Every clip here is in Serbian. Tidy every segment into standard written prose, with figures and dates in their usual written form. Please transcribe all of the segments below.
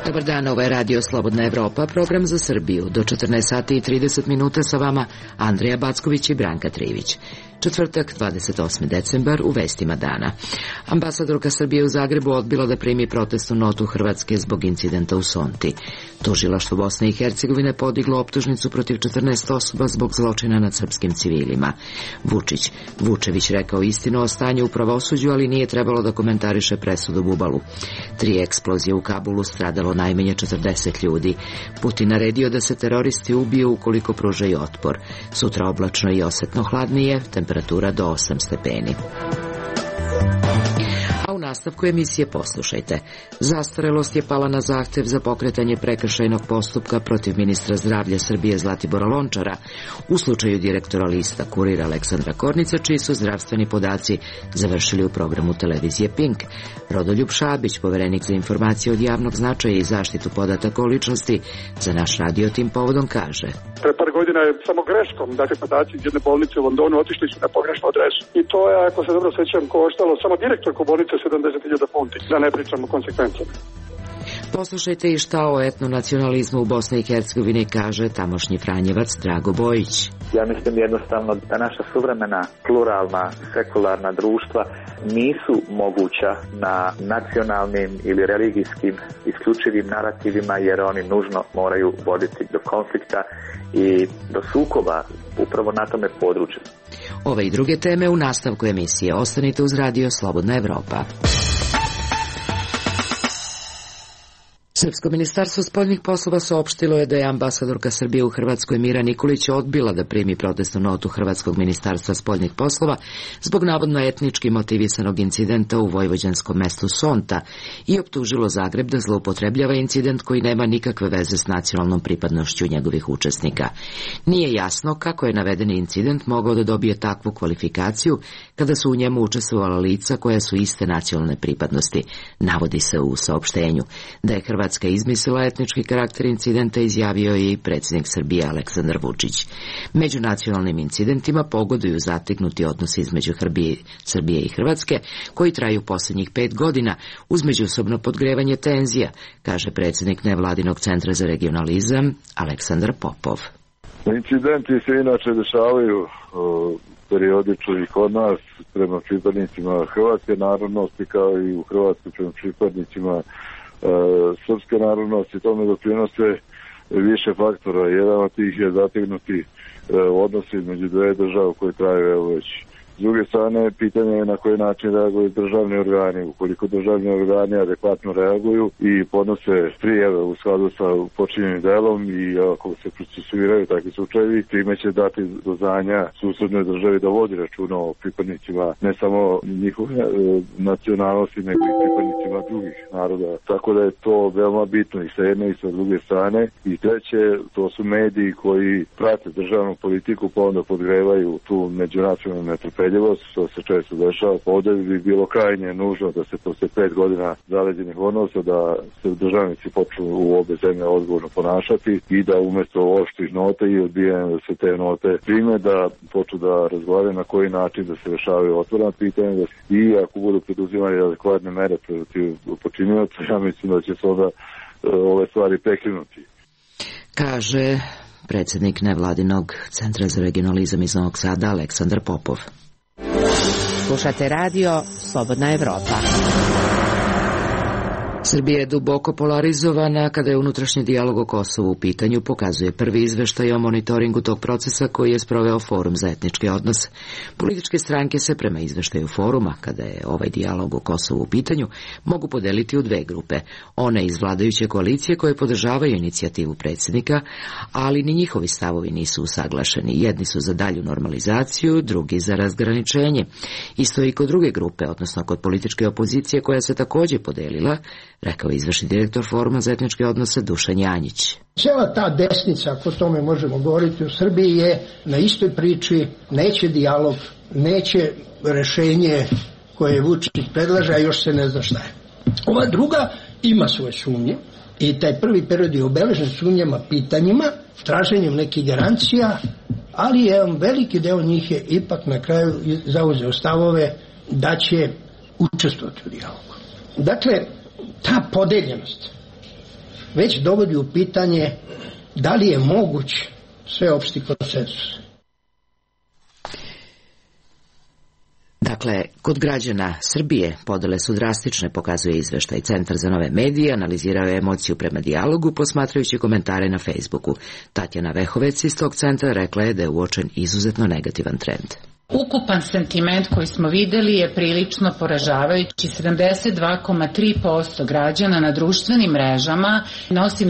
Dobar dan, ovo je Radio Slobodna Evropa, program za Srbiju. Do 14 sati i 30 minuta sa vama Andrija Backović i Branka Trivić. Četvrtak, 28. decembar, u vestima dana. Ambasadorka Srbije u Zagrebu odbila da primi protestnu notu Hrvatske zbog incidenta u Sonti. Tužilaštvo Bosne i Hercegovine podiglo optužnicu protiv 14 osoba zbog zločina nad srpskim civilima. Vučević rekao istinu o stanju u pravosuđu, ali nije trebalo da komentariše presudu Bubalu. 3 eksplozije u Kabulu, stradalo najmanje 40 ljudi. Putin naredio da se teroristi ubiju ukoliko pružaju otpor. Sutra oblačno i osetno hladnije, temperatura do 8 stepeni. A u nastavku emisije poslušajte. Zastarelost je pala na zahtev za pokretanje prekršajnog postupka protiv ministra zdravlja Srbije Zlatibora Lončara u slučaju direktora lista Kurir Aleksandra Kornica, čiji su zdravstveni podaci završili u programu televizije Pink. Rodoljub Šabić, poverenik za informacije od javnog značaja i zaštitu podataka o ličnosti, za naš radio tim povodom kaže: Pre par godina je samo greškom, dakle podaci iz jedne bolnice u Londonu otišli su na pogrešnu adresu. I to je, ako se dobro sećam, koštalo samo direktorku bolnice 70.000 funti, da ne pričam o konsekvencama. Poslušajte i šta o etnonacionalizmu u Bosni i Hercegovini kaže tamošnji Franjevac Drago Bojić. Ja mislim jednostavno da naša suvremena, pluralna, sekularna društva nisu moguća na nacionalnim ili religijskim isključivim narativima, jer oni nužno moraju voditi do konflikta i do sukoba upravo na tome području. Ove i druge teme u nastavku emisije. Ostanite uz Radio Slobodna Evropa. Srpsko ministarstvo spoljnih poslova saopštilo je da je ambasadorka Srbije u Hrvatskoj Mira Nikolić odbila da primi protestnu notu Hrvatskog ministarstva spoljnih poslova zbog navodno etnički motivisanog incidenta u vojvođanskom mestu Sonta i optužilo Zagreb da zloupotrebljava incident koji nema nikakve veze s nacionalnom pripadnošću njegovih učesnika. Nije jasno kako je navedeni incident mogao da dobije takvu kvalifikaciju kada su u njemu učestvovala lica koja su iste nacionalne pripadnosti, navodi se u saopštenju. Da je Hrvatska izmislila etnički karakter incidenta izjavio je i predsjednik Srbije Aleksandar Vučić. Među nacionalnim incidentima pogoduju zategnuti odnosi između Srbije i Hrvatske, koji traju posljednjih 5 godina uz međusobno podgrevanje tenzija, kaže predsjednik nevladinog centra za regionalizam Aleksandar Popov. Incidenti se inače dešavaju periodično i kod nas prema pripadnicima hrvatske narodnosti, kao i u Hrvatskoj prema pripadnicima srpske narodnosti. Tome doprinose više faktora. Jedan od tih je zategnuti odnosi između dve države koje traju već. S druge strane, pitanje je na koji način reaguju državni organi. Ukoliko državni organi adekvatno reaguju i podnose prijave u skladu sa počinjenim delom i ako se procesuiraju takvi slučajevi, time će dati do znanja susednoj državi da vodi računa o pripadnicima ne samo njihove nacionalnosti, nego i pripadnicima drugih naroda. Tako da je to veoma bitno i sa jedne i sa druge strane. I treće, to su mediji koji prate državnu politiku pa onda podgrevaju tu međunacionalnu netrpeljivost, što se često dešava. Ovdje bi bilo krajnje nužno da se posle 5 godina zaleđenih odnosa da se državnici počnu u obe zemlje odgovorno ponašati i da umjesto oštrih nota i odbijanja da se te note prime, da počnu da razgovaraju na koji način da se rešavaju otvorena pitanja i ako budu preduzimali adekvatne mere protiv počinioca, ja mislim da će se onda ove stvari prekinuti. Kaže predsjednik nevladinog centra za regionalizam iz Novog Sada Aleksandar Popov. Slušate radio Slobodna Evropa. Srbija je duboko polarizovana kada je unutrašnji dijalog o Kosovu u pitanju, pokazuje prvi izveštaj o monitoringu tog procesa koji je sproveo Forum za etničke odnose. Političke stranke se prema izveštaju foruma, kada je ovaj dijalog o Kosovu u pitanju, mogu podeliti u dve grupe. One iz vladajuće koalicije koje podržavaju inicijativu predsjednika, ali ni njihovi stavovi nisu usaglašeni. Jedni su za dalju normalizaciju, drugi za razgraničenje. Isto i kod druge grupe, odnosno kod političke opozicije koja se također podelila, rekao izvršni direktor Foruma za etničke odnose Dušan Janjić. Cijela ta desnica, ako tome možemo govoriti u Srbiji, je na istoj priči, neće dijalog, neće rešenje koje Vučić predlaže, a još se ne zna šta je. Ova druga ima svoje sumnje, I taj prvi period je obeležen sumnjama, pitanjima, traženjem nekih garancija, ali jedan veliki deo njih je ipak na kraju zauzeo stavove da će učestvovati u dijalogu. Dakle, ta podeljenost već dovodi u pitanje da li je moguć sveopšti konsenzus. Dakle, kod građana Srbije podele su drastične, pokazuje izveštaj. Centar za nove medije analizirao je emociju prema dijalogu posmatrajući komentare na Facebooku. Tatjana Vehovec iz tog centra rekla je da je uočen izuzetno negativan trend. Ukupan sentiment koji smo videli je prilično poražavajući. 72,3% građana na društvenim mrežama nosi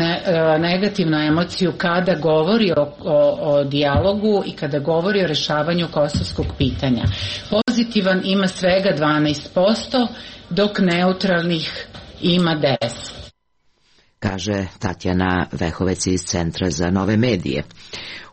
negativnu emociju kada govori o dijalogu i kada govori o rešavanju kosovskog pitanja. Pozitivan ima svega 12%, dok neutralnih ima 10%. Kaže Tatjana Vehovec iz Centra za nove medije.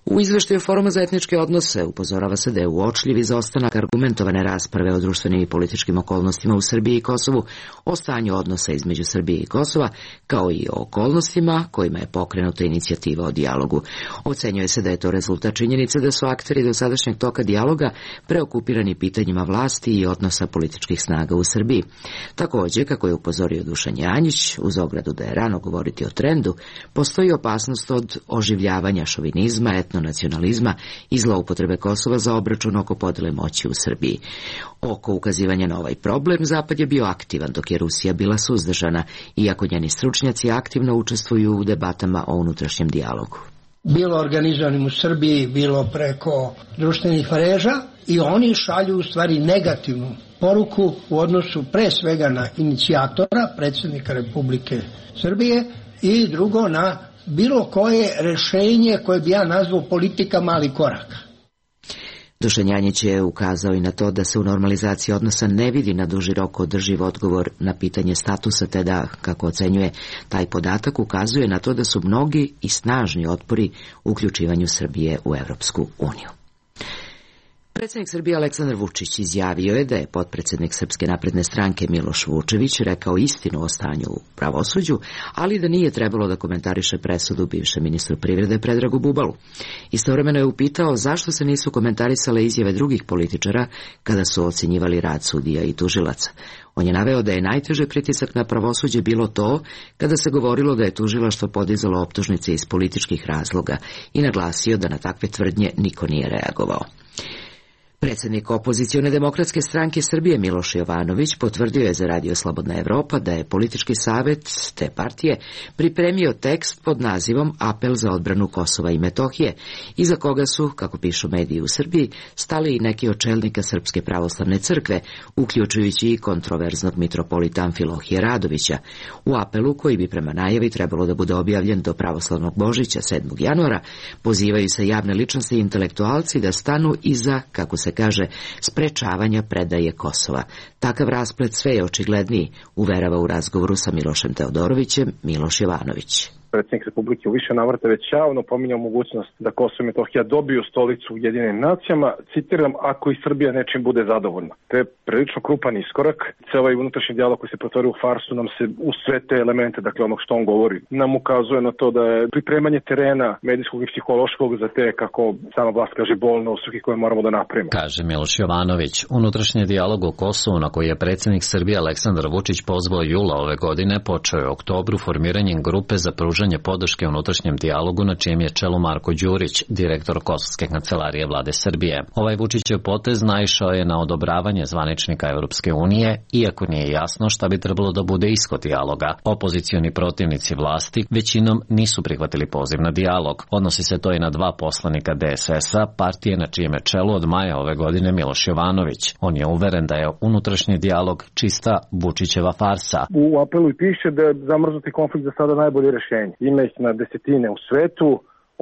U izveštaju Foruma za etničke odnose upozorava se da je uočljiv izostanak argumentovane rasprave o društvenim i političkim okolnostima u Srbiji i Kosovu, o stanju odnosa između Srbije i Kosova, kao i o okolnostima kojima je pokrenuta inicijativa o dijalogu. Ocenjuje se da je to rezultat činjenice da su akteri dosadašnjeg toka dijaloga preokupirani pitanjima vlasti i odnosa političkih snaga u Srbiji. Također, kako je upozorio Dušan Janjić, uz ogradu da je rano govoriti o trendu, postoji opasnost od oživljavanja šovinizma, etnonacionalizma i zloupotrebe Kosova za obračun oko podele moći u Srbiji. Oko ukazivanja na ovaj problem Zapad je bio aktivan, dok je Rusija bila suzdržana, iako njeni stručnjaci aktivno učestvuju u debatama o unutrašnjem dijalogu. Bilo organizovanim u Srbiji, bilo preko društvenih mreža, i oni šalju u stvari negativnu poruku u odnosu pre svega na inicijatora, predsjednika Republike Srbije, i drugo na bilo koje rešenje koje bi ja nazvao politika malih koraka. Dušan Janjić je ukazao i na to da se u normalizaciji odnosa ne vidi na duži rok održiv odgovor na pitanje statusa, te da, kako ocenjuje, taj podatak ukazuje na to da su mnogi i snažni otpori u uključivanju Srbije u Evropsku uniju. Predsjednik Srbije Aleksandar Vučić izjavio je da je potpredsjednik Srpske napredne stranke Miloš Vučević rekao istinu o stanju u pravosuđu, ali da nije trebalo da komentariše presudu bivšem ministru privrede Predragu Bubalu. Istovremeno je upitao zašto se nisu komentarisale izjave drugih političara kada su ocenjivali rad sudija i tužilaca. On je naveo da je najteže pritisak na pravosuđe bilo to kada se govorilo da je tužilaštvo podizalo optužnice iz političkih razloga i naglasio da na takve tvrdnje niko nije reagovao. Predsjednik opozicione demokratske stranke Srbije Miloš Jovanović potvrdio je za Radio Slobodna Evropa da je politički savjet te partije pripremio tekst pod nazivom Apel za odbranu Kosova i Metohije, iza koga su, kako pišu mediji u Srbiji, stali i neki od čelnika Srpske pravoslavne crkve, uključujući i kontroverznog mitropolita Amfilohija Radovića. U apelu, koji bi prema najavi trebalo da bude objavljen do pravoslavnog Božića 7. januara, pozivaju se javne ličnosti i intelektualci da stanu iza, kako se kaže, sprečavanja predaje Kosova. Takav rasplet sve je očigledniji, uverava u razgovoru sa Milošem Teodorovićem Miloš Jovanović. Predsjednik Republike u više navrata već javno pominjao mogućnost da Kosovo i Metohija dobiju stolicu u Ujedinjenim nacijama, citiram, ako i Srbija nečim bude zadovoljna. To je prilično krupan iskorak. Ovaj unutrašnji dijalog koji se pretvorio u farsu nam se u sve te elemente, dakle onog što on govori, nam ukazuje na to da je pripremanje terena medijskog i psihološkog za te, kako sama vlast kaže, bolne osuke koje moramo da napravimo. Kaže Miloš Jovanović. Unutrašnji dijalog o Kosovu, na koji je predsjednik Srbije Aleksandar Vučić pozvao jula ove godine, počeo je u oktobru formiranjem grupe za pružanje podrške unutrašnjem dijalogu, na čijem je čelu Marko Đurić, direktor Kosovske kancelarije vlade Srbije. Ovaj Vučićev potez naišao je na odobravanje zvaničnika Evropske unije, iako nije jasno šta bi trebalo da bude ishod dijaloga. Opozicioni protivnici vlasti većinom nisu prihvatili poziv na dijalog. Odnosi se to i na dva poslanika DSS-a, partije na čijem je čelu od maja ove godine Miloš Jovanović. On je uveren da je unutrašnji dijalog čista Vučićeva farsa. U apelu i piše da je zamrznuti konflikt za sada najbolje rješenje. Ima ih na desetine u svetu,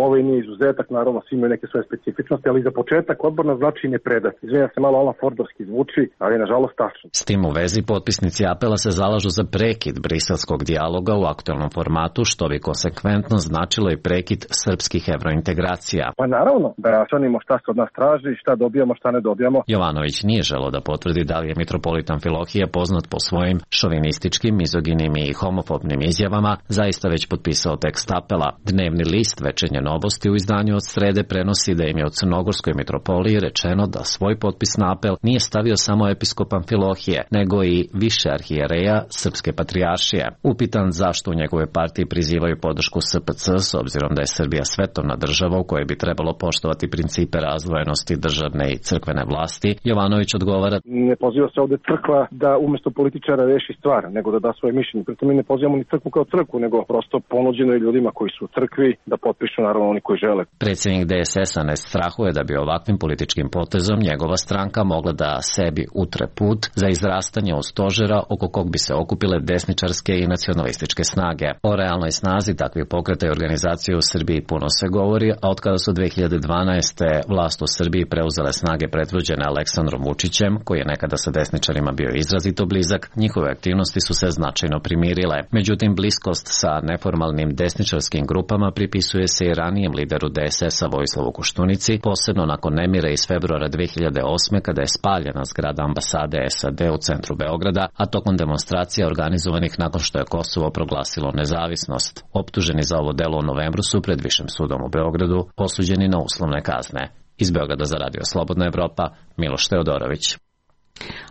Ovaj nije izuzetak, naravno svi imaju neke svoje specifičnosti, ali za početak odborna znači ne predati. Izvinjam se, malo Alan Fordovski zvuči, ali nažalost tačno. S tim u vezi potpisnici apela se zalažu za prekid briselskog dijaloga u aktuelnom formatu, što bi konsekventno značilo i prekid srpskih evrointegracija. Pa naravno, da raščlanimo šta se od nas traži, šta dobijamo, šta ne dobijamo. Jovanović nije želeo da potvrdi da li je mitropolita Amfilohije, poznat po svojim šovinističkim, mizoginim i homofobnim izjavama, zaista već potpisao tekst apela. Dnevni list Večernje novosti u izdanju od srede prenosi da im je u Crnogorskoj mitropoliji rečeno da svoj potpis na apel nije stavio samo episkop Amfilohije, nego i više arhijereja Srpske patrijaršije. Upitan zašto u njegove partiji prizivaju podršku SPC s obzirom da je Srbija svetovna država u kojoj bi trebalo poštovati principe razdvojenosti državne i crkvene vlasti, Jovanović odgovara: ne poziva se ovde crkva da umesto političara reši stvar, nego da da svoje mišljenje. Pritom mi ne pozivamo ni crkvu kao crkvu, nego prosto ponuđeno je ljudima koji su u crkvi da potpišu, naravno oni koji žele. Predsjednik DSS-a ne strahuje da bi ovakvim političkim potezom njegova stranka mogla da sebi utre put za izrastanje od stožera oko kog bi se okupile desničarske i nacionalističke snage. O realnoj snazi takvih pokreta i organizacije u Srbiji puno se govori, a od kada su 2012. vlast u Srbiji preuzele snage predvođene Aleksandrom Vučićem, koji je nekada sa desničarima bio izrazito blizak, njihove aktivnosti su se značajno primirile. Međutim, bliskost sa neformalnim desničarskim grupama pripisuje se i ranijem lideru DSS-a Vojislavu Koštunici, posebno nakon nemira iz februara 2008. kada je spaljena zgrada ambasade SAD u centru Beograda, a tokom demonstracija organizovanih nakon što je Kosovo proglasilo nezavisnost. Optuženi za ovo delo u novembru su pred Višim sudom u Beogradu osuđeni na uslovne kazne. Iz Beograda za Radio Slobodna Evropa, Miloš Teodorović.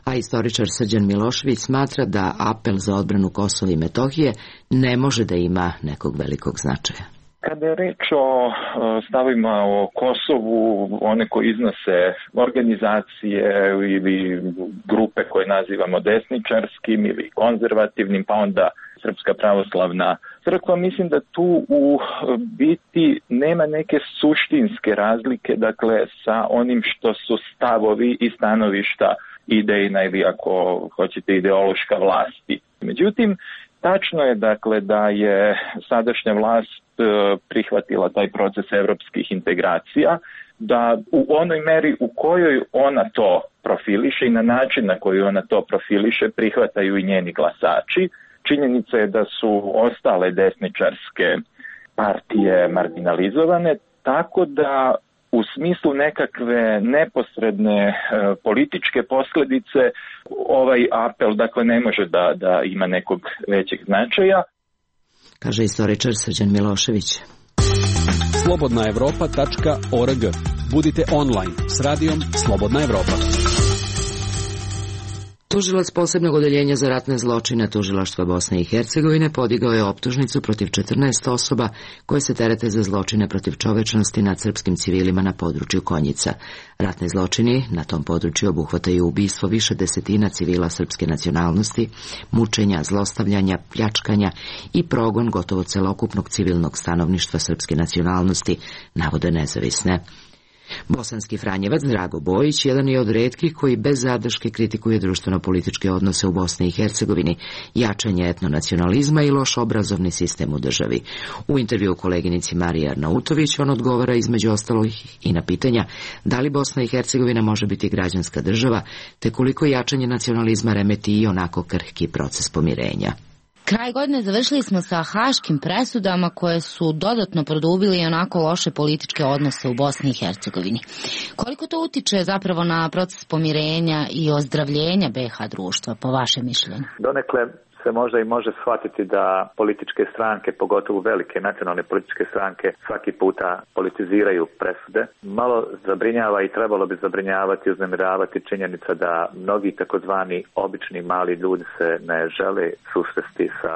A istoričar Srđan Milošević smatra da apel za odbranu Kosova i Metohije ne može da ima nekog velikog značaja. Kada je reč o stavima o Kosovu, one koji iznose organizacije ili grupe koje nazivamo desničarskim ili konzervativnim, pa onda Srpska pravoslavna crkva, mislim da tu u biti nema neke suštinske razlike, dakle, sa onim što su stavovi i stanovišta idejna ili ako hoćete ideološka vlasti. Međutim, tačno je dakle da je sadašnja vlast prihvatila taj proces evropskih integracija, da u onoj meri u kojoj ona to profiliše i na način na koji ona to profiliše prihvataju i njeni glasači. Činjenica je da su ostale desničarske partije marginalizovane, tako da u smislu nekakve neposredne političke posljedice ovaj apel dakle ne može da ima nekog većeg značaja. Kaže istoričar Srđan Milošević. slobodnaevropa.org. Budite online s radijom Slobodna Evropa. Tužilac posebnog odeljenja za ratne zločine Tužilaštva Bosne i Hercegovine podigao je optužnicu protiv 14 osoba koje se terete za zločine protiv čovečnosti nad srpskim civilima na području Konjica. Ratni zločini na tom području obuhvataju ubistvo više desetina civila srpske nacionalnosti, mučenja, zlostavljanja, pljačkanja i progon gotovo celokupnog civilnog stanovništva srpske nacionalnosti, navode nezavisne. Bosanski Franjevac Drago Bojić jedan je od retkih koji bez zadrške kritikuje društveno-političke odnose u Bosni i Hercegovini, jačanje etnonacionalizma i loš obrazovni sistem u državi. U intervju koleginici Mariji Arnautović on odgovara između ostalih i na pitanja da li Bosna i Hercegovina može biti građanska država, te koliko jačanje nacionalizma remeti i onako krhki proces pomirenja. Kraj godine završili smo sa haškim presudama koje su dodatno produbili onako loše političke odnose u Bosni i Hercegovini. Koliko to utiče zapravo na proces pomirenja i ozdravljenja BiH društva, po vašem mišljenju? Donekle se možda i može shvatiti da političke stranke, pogotovo velike nacionalne političke stranke, svaki puta politiziraju presude. Malo zabrinjava i trebalo bi zabrinjavati i uznemiravati činjenica da mnogi takozvani obični mali ljudi se ne žele susresti sa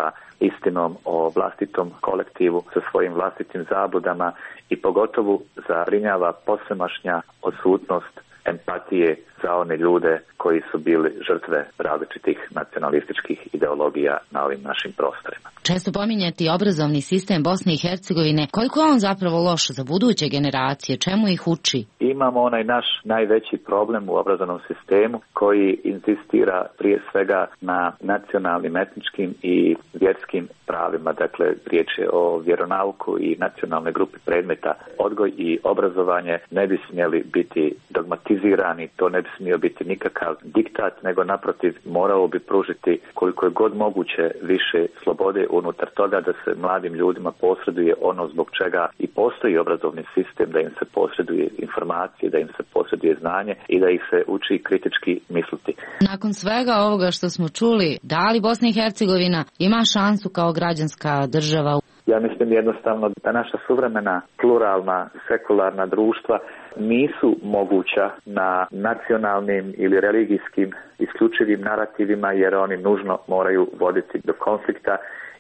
istinom o vlastitom kolektivu, sa svojim vlastitim zabludama i pogotovo zabrinjava posvemašnja odsutnost empatije za one ljude koji su bili žrtve različitih nacionalističkih ideologija na ovim našim prostorima. Često pominjati obrazovni sistem Bosne i Hercegovine, koliko je on zapravo loš za buduće generacije, čemu ih uči? imamo onaj naš najveći problem u obrazovnom sistemu koji insistira prije svega na nacionalnim, etničkim i vjerskim pravima. Dakle, riječ je o vjeronauku i nacionalne grupe predmeta. Odgoj i obrazovanje ne bi smjeli biti dogmatizirani, to ne bi smio biti nikakav diktat, nego naprotiv moralo bi pružiti koliko je god moguće više slobode unutar toga da se mladim ljudima posreduje ono zbog čega i postoji obrazovni sistem, da im se posreduje informacije, da im se posreduje znanje i da ih se uči kritički misliti. Nakon svega ovoga što smo čuli, da li Bosna i Hercegovina ima šansu kao građanska država? Ja mislim jednostavno da naša suvremena, pluralna, sekularna društva nisu moguća na nacionalnim ili religijskim isključivim narativima, jer oni nužno moraju voditi do konflikta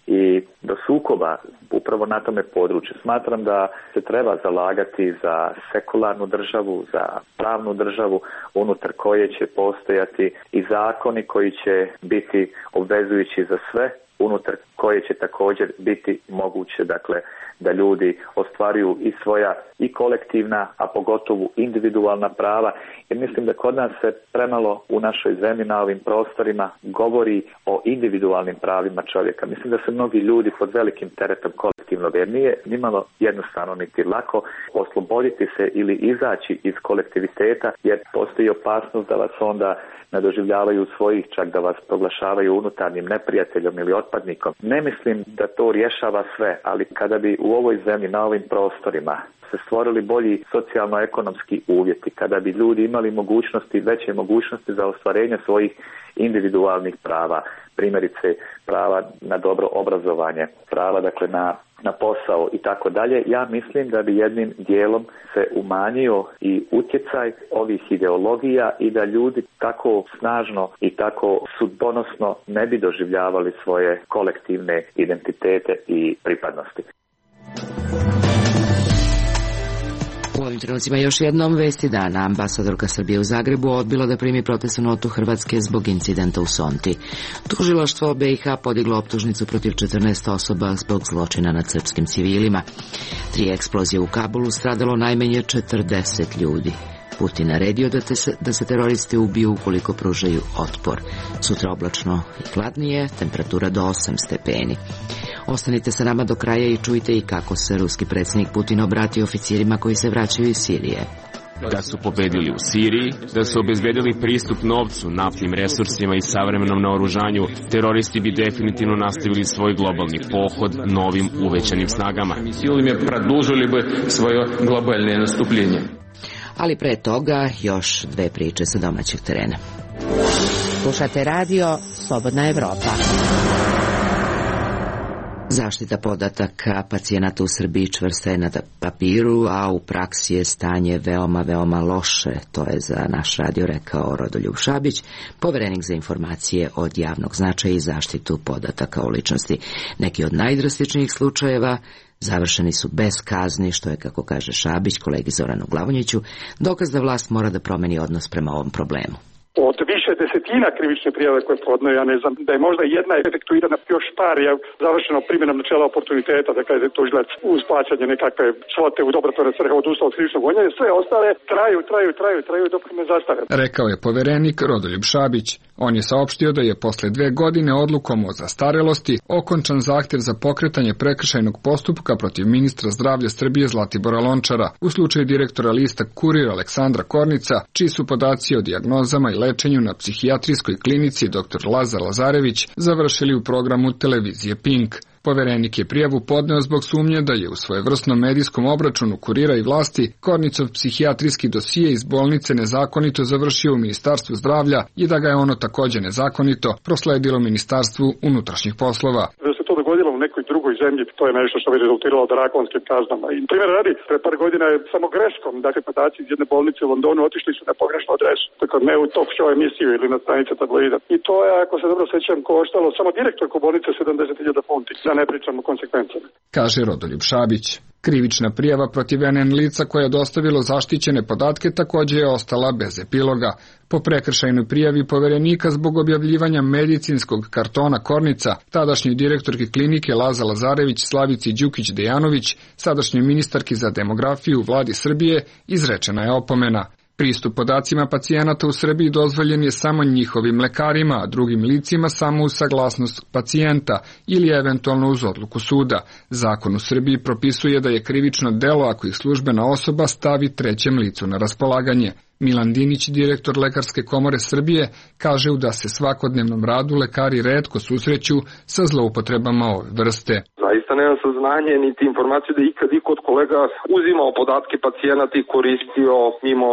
i do sukoba upravo na tome području. Smatram da se treba zalagati za sekularnu državu, za pravnu državu unutar koje će postojati i zakoni koji će biti obvezujući za sve, unutar koje će također biti moguće, dakle, da ljudi ostvaruju i svoja i kolektivna, a pogotovo individualna prava. Jer mislim da kod nas se premalo u našoj zemlji na ovim prostorima govori o individualnim pravima čovjeka. Mislim da se mnogi ljudi pod velikim teretom kolektivnog, jer nije nimalo jednostavno niti lako osloboditi se ili izaći iz kolektiviteta, jer postoji opasnost da vas onda ne doživljavaju svojih, čak da vas proglašavaju unutarnjim neprijateljom ili otpadnikom. Ne mislim da to rješava sve, ali kada bi u ovoj zemlji, na ovim prostorima se stvorili bolji socijalno-ekonomski uvjeti, kada bi ljudi imali mogućnosti, veće mogućnosti za ostvarenje svojih individualnih prava, primjerice prava na dobro obrazovanje, prava dakle na posao i tako dalje, ja mislim da bi jednim dijelom se umanjio i utjecaj ovih ideologija i da ljudi tako snažno i tako sudbonosno ne bi doživljavali svoje kolektivne identitete i pripadnosti. U ovim trenucima još jednom vesti dana. Ambasadorka Srbije u Zagrebu odbila da primi protestnu notu Hrvatske zbog incidenta u Sonti. Tužilaštvo BiH podiglo optužnicu protiv 14 osoba zbog zločina nad srpskim civilima. 3 eksplozije u Kabulu, stradalo najmanje 40 ljudi. Putin naredio da se teroristi ubiju ukoliko pružaju otpor. Sutra oblačno i hladnije, temperatura do 8 stepeni. Ostanite sa nama do kraja i čujte i kako se ruski predsjednik Putin obratio oficirima koji se vraćaju iz Sirije. Da su pobedili u Siriji, da su obezbedili pristup novcu, naftnim resursima i savremenom naoružanju, teroristi bi definitivno nastavili svoj globalni pohod novim uvećanim snagama. Silima produžili bi svoje globalne nastupljenje. Ali pre toga još 2 priče sa domaćeg terena. Slušate radio Slobodna Evropa. Zaštita podataka pacijenata u Srbiji čvrsta je na papiru, a u praksi je stanje veoma loše. To je za naš radio rekao Rodoljub Šabić, poverenik za informacije od javnog značaja i zaštitu podataka o ličnosti. Neki od najdrastičnijih slučajeva završeni su bez kazni, što je, kako kaže Šabić kolegi Zoranu Glavonjiću, dokaz da vlast mora da promeni odnos prema ovom problemu. Od više desetina krivične prijave koje podnoje, ja ne znam, da je možda jedna efektuirana, još par je završeno primjenom načela oportuniteta, da kaže tužilac uz plaćanje nekakve svote u dobrotvorne svrhe odustao od krivičnog gonjenja, sve ostale traju dok ne zastare. Rekao je poverenik Rodoljub Šabić. On je saopštio da je posle 2 godine odlukom o zastarelosti okončan zahtjev za pokretanje prekršajnog postupka protiv ministra zdravlja Srbije Zlatibora Lončara u slučaju direktora lista Kurir Aleksandra Kornica, čiji su podaci o dijagnozama i lečenju na psihijatrijskoj klinici dr. Lazar Lazarević završili u programu televizije Pink. Poverenik je prijavu podneo zbog sumnje da je u svojevrsnom medijskom obračunu Kurira i vlasti Kornicov psihijatrijski dosije iz bolnice nezakonito završio u Ministarstvu zdravlja i da ga je ono također nezakonito prosledilo Ministarstvu unutrašnjih poslova. Da se to dogodilo u nekoj drugoj zemlji, to je nešto što bi rezultiralo drakonskim kaznama. I primjer radi, pre par godina je samo greškom, dakle podaci iz jedne bolnice u Londonu otišli su na pogrešnu adresu, dakle ne u talk show emisiju ili na stranice tabloida. I to je, ako se dobro sećam, koštalo samo direktorku bolnice 70.000 funti. Da ne pričamo o konsekvencama. Kaže Rodoljub Šabić. Krivična prijava protiv NN lica koja je dostavilo zaštićene podatke takođe je ostala bez epiloga. Po prekršajnoj prijavi poverenika zbog objavljivanja medicinskog kartona Kornica, tadašnjoj direktorki klinike Laza Lazarević Slavici Đukić-Dejanović, sadašnjoj ministarki za demografiju Vladi Srbije, izrečena je opomena. Pristup podacima pacijenata u Srbiji dozvoljen je samo njihovim lekarima, a drugim licima samo uz saglasnost pacijenta ili eventualno uz odluku suda. Zakon u Srbiji propisuje da je krivično delo ako ih službena osoba stavi trećem licu na raspolaganje. Milan Dinić, direktor Lekarske komore Srbije, kaže da se svakodnevnom radu lekari retko susreću sa zloupotrebama ove vrste. Zaista nemam saznanje niti informaciju da ikad iko od kolega uzimao podatke pacijenata i koristio mimo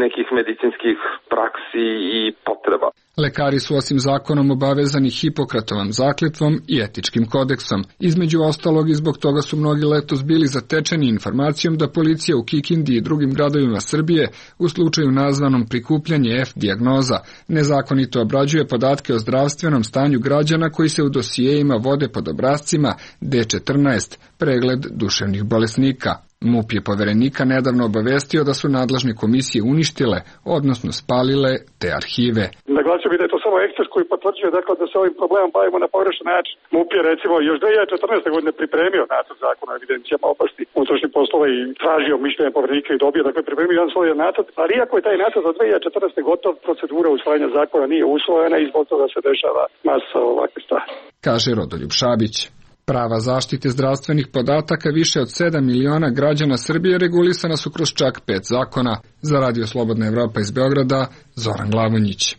nekih medicinskih praksi i potreba. Lekari su osim zakonom obavezani Hipokratovom zakletvom i etičkim kodeksom. Između ostalog i zbog toga su mnogi letos bili zatečeni informacijom da policija u Kikindi i drugim gradovima Srbije u slučaju nazvanom prikupljanje F dijagnoza nezakonito obrađuje podatke o zdravstvenom stanju građana koji se u dosijejima vode pod obrascima D14, pregled duševnih bolesnika. MUP je poverenika nedavno obavestio da su nadležne komisije uništile, odnosno spalile te arhive. Naglasio bih da je to samo ekspres koji potvrđuje da se ovim problemom bavimo na pogrešan način. MUP je recimo još 2014. godine pripremio nacrt zakona o evidencijama oblasti unutrašnjih poslova i tražio mišljenje poverenika i dobio, pripremio jedan svoj nacrt, ali iako je taj nacrt za 2014. gotov, procedura usvajanja zakona nije usvojena i zbog toga se dešava masa ovakve stvari. Kaže Rodoljub Šabić. Prava zaštite zdravstvenih podataka više od 7 miliona građana Srbije regulisana su kroz čak 5 zakona. Za Radio Slobodna Evropa iz Beograda, Zoran Glavonjić.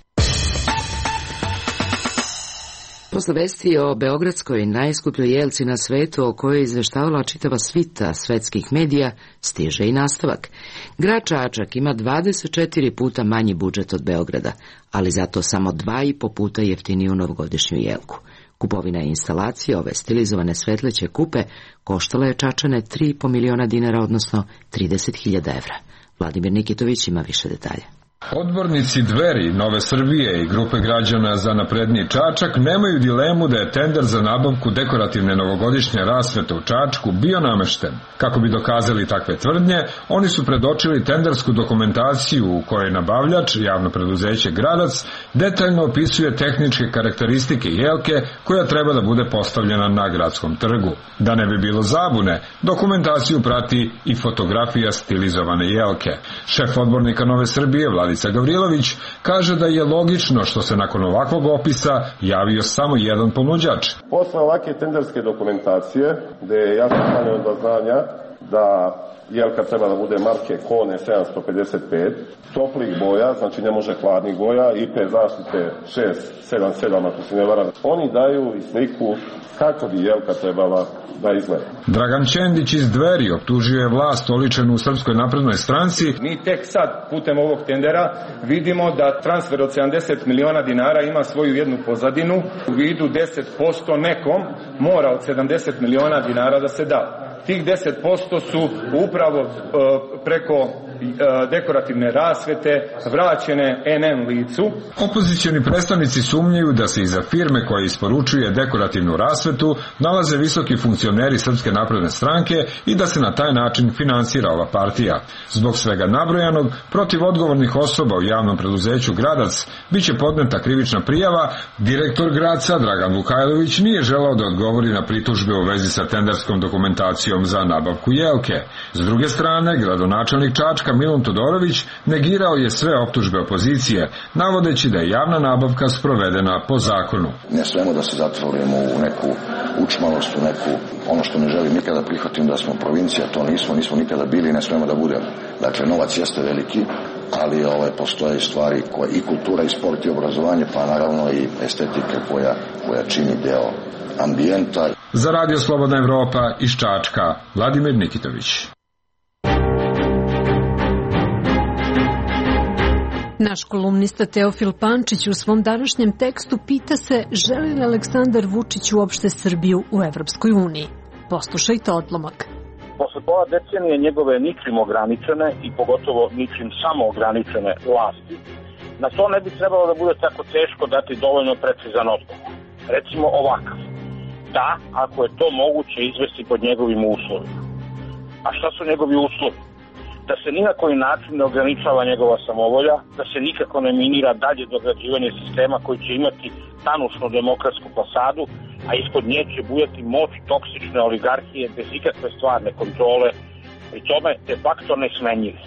Posle vesti o beogradskoj najskupljoj jelci na svetu o kojoj je izveštavala čitava svita svetskih medija, stiže i nastavak. Grad Čačak ima 24 puta manji budžet od Beograda, ali zato samo 2,5 puta jeftiniju novogodišnju jelku. Kupovina instalacije ove stilizovane svetleće kupe koštala je Čačane 3,5 miliona dinara, odnosno 30.000 evra. Vladimir Nikitović ima više detalja. Odbornici Dveri, Nove Srbije i grupe građana za napredniji Čačak nemaju dilemu da je tender za nabavku dekorativne novogodišnje rasvete u Čačku bio namešten. Kako bi dokazali takve tvrdnje, oni su predočili tendersku dokumentaciju u kojoj nabavljač, javno preduzeće Gradac, detaljno opisuje tehničke karakteristike jelke koja treba da bude postavljena na gradskom trgu. Da ne bi bilo zabune, dokumentaciju prati i fotografija stilizovane jelke. Šef odbornika Nove Srbije, Vladica Gavrilović, kaže da je logično što se nakon ovakvog opisa javio samo jedan ponuđač. Posle ovakve tenderske dokumentacije, gde je jasno stavljeno do znanja da jelka treba da bude marke Kone 755, toplih boja, znači ne može hladnih boja, IP zaštite 677, ako se ne varam. Oni daju i sliku kako bi jelka trebala da izgleda. Dragan Čendić iz Dveri optužio je vlast oličenu u Srpskoj naprednoj stranci. Mi tek sad, putem ovog tendera, vidimo da transfer od 70 miliona dinara ima svoju jednu pozadinu. U vidu 10% nekom mora od 70 miliona dinara da se da. Tih 10% su upravo preko dekorativne rasvete vraćene NN licu. Opozicioni predstavnici sumnjaju da se iza firme koja isporučuje dekorativnu rasvetu nalaze visoki funkcioneri Srpske napredne stranke i da se na taj način finansira ova partija. Zbog svega nabrojanog, protiv odgovornih osoba u javnom preduzeću Gradac biće podneta krivična prijava. Direktor Gradca Dragan Vukajlović nije želao da odgovori na pritužbe u vezi sa tenderskom dokumentacijom za nabavku jelke. S druge strane, gradonačelnik Čačka Milun Todorović negirao je sve optužbe opozicije, navodeći da je javna nabavka sprovedena po zakonu. Ne smemo da se zatvorimo u neku učmalost, u neku, ono što ne želim nikada prihvatim da smo provincija, to nismo nikada bili i ne smemo da budemo. Dakle, novac jeste veliki, ali postoje stvari koje i kultura i sport i obrazovanje, pa naravno i estetika koja čini deo ambijenta. Za Radio Slobodna Evropa iz Čačka, Vladimir Nikitović. Naš kolumnista Teofil Pančić u svom današnjem tekstu pita se želi li Aleksandar Vučić uopšte Srbiju u Evropskoj uniji. Poslušajte odlomak. Posle pola decenije njegove ničim ograničene i pogotovo ničim samo ograničene vlasti, na to ne bi trebalo da bude tako teško dati dovoljno precizan odgovor. Recimo ovakav. Da, ako je to moguće izvesti pod njegovim uslovima. A šta su njegovi uslovi? Da se ni na koji način ne ograničava njegova samovolja, da se nikako ne minira dalje dograđivanje sistema koji će imati tanušnu demokratsku fasadu, a ispod nje će bujati moć toksične oligarhije bez ikakve stvarne kontrole, pri tome de facto nesmenjive.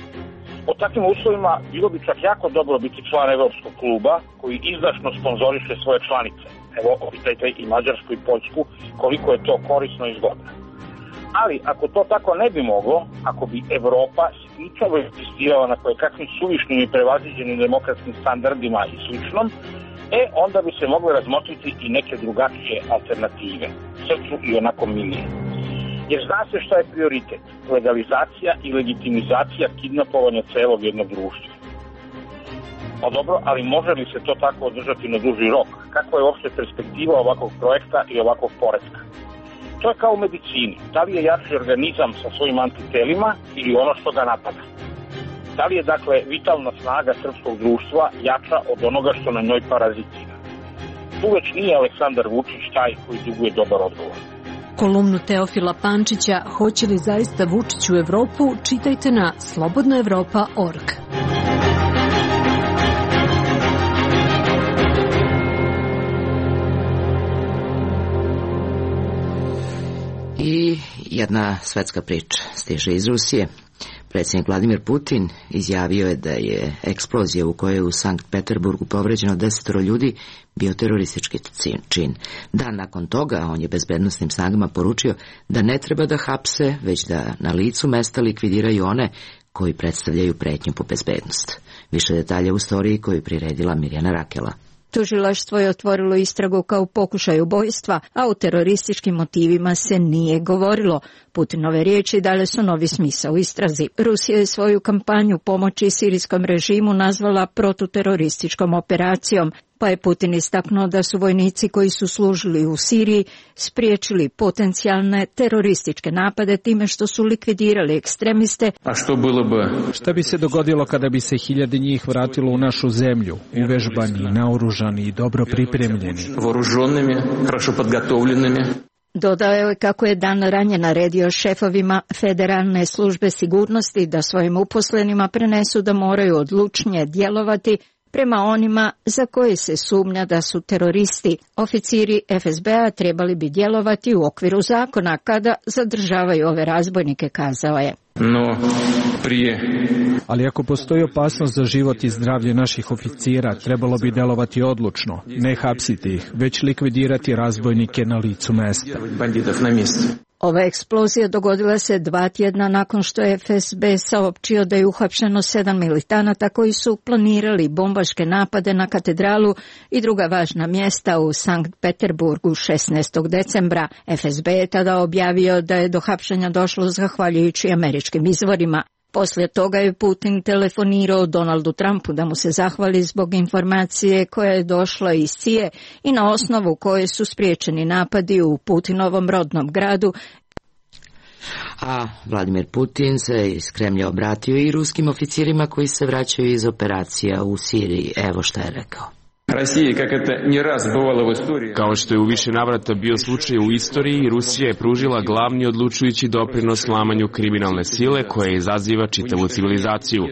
Po takvim uslovima bilo bi čak jako dobro biti član Evropskog kluba koji izdašno sponzoriše svoje članice. Evo, opitajte i Mađarsku i Poljsku koliko je to korisno i zgodno. Ali ako to tako ne bi moglo, ako bi Evropa isključivo insistirala na kakvim suvišnim i prevaziđenim demokratskim standardima i sličnom, onda bi se mogle razmotriti i neke drugačije alternative, srcu i onako milije. Jer zna se šta je prioritet, legalizacija i legitimizacija kidnapovanja celog jednog društva. Pa dobro, ali može li se to tako održati na duži rok? Kakva je uopšte perspektiva ovakvog projekta i ovakvog poretka? To je kao u medicini. Da li je jači organizam sa svojim antitelima ili ono što ga napada? Da li je, dakle, vitalna snaga srpskog društva jača od onoga što na njoj parazitira? Tu već nije Aleksandar Vučić taj koji duguje dobar odgovor. Kolumnu Teofila Pančića "Hoće li zaista Vučić u Evropu?" čitajte na slobodnaevropa.org. I jedna svetska priča stiže iz Rusije. Predsjednik Vladimir Putin izjavio je da je eksplozija u kojoj je u Sankt Peterburgu povređeno 10 ljudi bio teroristički čin. Dan nakon toga on je bezbednosnim snagama poručio da ne treba da hapse, već da na licu mesta likvidiraju one koji predstavljaju pretnju po bezbednost. Više detalja u storiji koju priredila Mirjana Rakela. Tužilaštvo je otvorilo istragu kao pokušaj ubojstva, a o terorističkim motivima se nije govorilo. Putinove riječi dale su novi smisao istrazi. Rusija je svoju kampanju pomoći sirijskom režimu nazvala protuterorističkom operacijom, pa je Putin istaknuo da su vojnici koji su služili u Siriji spriječili potencijalne terorističke napade time što su likvidirali ekstremiste. Šta bi se dogodilo kada bi se 1000 njih vratilo u našu zemlju, uvežbani, naoružani i dobro pripremljeni? Dodao je kako je dan ranije naredio šefovima Federalne službe sigurnosti da svojim uposlenima prenesu da moraju odlučnije djelovati prema onima za koje se sumnja da su teroristi. Oficiri FSB-a trebali bi djelovati u okviru zakona kada zadržavaju ove razbojnike, kazao je. Ali ako postoji opasnost za život i zdravlje naših oficira, trebalo bi delovati odlučno, ne hapsiti ih, već likvidirati razbojnike na licu mesta. Ova eksplozija dogodila se 2 tjedna nakon što je FSB saopćio da je uhapšeno 7 militanata koji su planirali bombaške napade na katedralu i druga važna mjesta u Sankt Peterburgu 16. decembra. FSB je tada objavio da je do hapšenja došlo zahvaljujući američkim izvorima. Poslije toga je Putin telefonirao Donaldu Trumpu da mu se zahvali zbog informacije koja je došla iz CIA i na osnovu koje su spriječeni napadi u Putinovom rodnom gradu. A Vladimir Putin se iz Kremlja obratio i ruskim oficirima koji se vraćaju iz operacija u Siriji. Evo šta je rekao. Kao što je u više navrata bio slučaj u istoriji, Rusija je pružila glavni odlučujući doprinos slamanju kriminalne sile koja izaziva čitavu civilizaciju.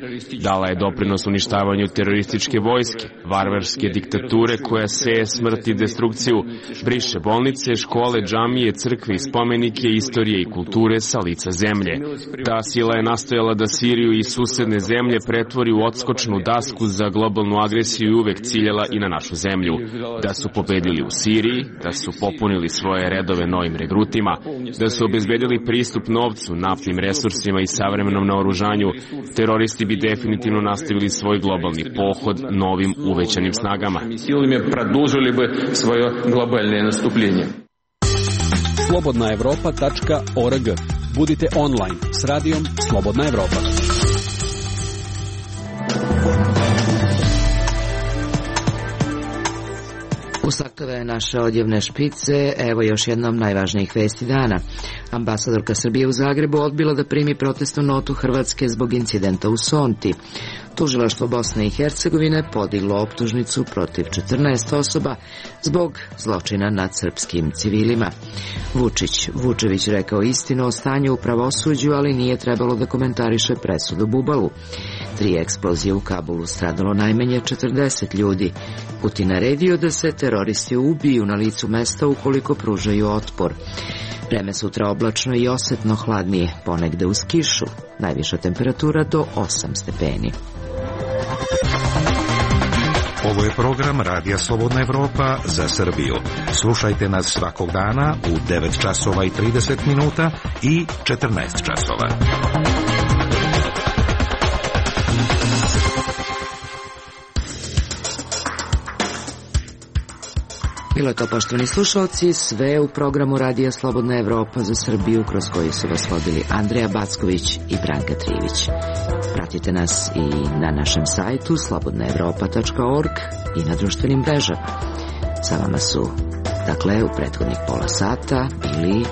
Dala je doprinos uništavanju terorističke vojske, varvarske diktature koja seje smrt i destrukciju, briše bolnice, škole, džamije, crkve i spomenike, istorije i kulture sa lica zemlje. Ta sila je nastojala da Siriju i susedne zemlje pretvori u odskočnu dasku za globalnu agresiju i uvek ciljala i na našu zemlju, da su pobedili u Siriji, da su popunili svoje redove novim regrutima, da su obezbedili pristup novcu, naftnim resursima i savremenom naoružanju, teroristi bi definitivno nastavili svoj globalni pohod novim uvećanim snagama. Slobodnaevropa.org. Budite online s radijom Slobodna Evropa. Ustakle naše odjevne špice, evo još jednom najvažnijih vesti dana. Ambasadorka Srbije u Zagrebu odbila da primi protestnu notu Hrvatske zbog incidenta u Sonti. Tužilaštvo Bosne i Hercegovine podiglo optužnicu protiv 14 osoba zbog zločina nad srpskim civilima. Vučević rekao istinu o stanju u pravosuđu, ali nije trebalo da komentariše presudu Bubalu. 3 eksplozije u Kabulu, stradalo najmanje 40 ljudi. Putin naredio da se teroristi ubiju na licu mesta ukoliko pružaju otpor. Vreme sutra oblačno i osetno hladnije, ponegde uz kišu. Najviša temperatura do 8 stepeni. Ovo je program Radija Slobodna Evropa za Srbiju. Slušajte nas svakog dana u 9 časova i 30 minuta i 14 časova. Bilo je to, poštovani slušalci, sve u programu Radija Slobodna Evropa za Srbiju, kroz koji su vas vodili Andreja Backović i Branka Trivić. Pratite nas i na našem sajtu slobodnaevropa.org i na društvenim mrežama. Sa vama su, dakle, u prethodnih pola sata bili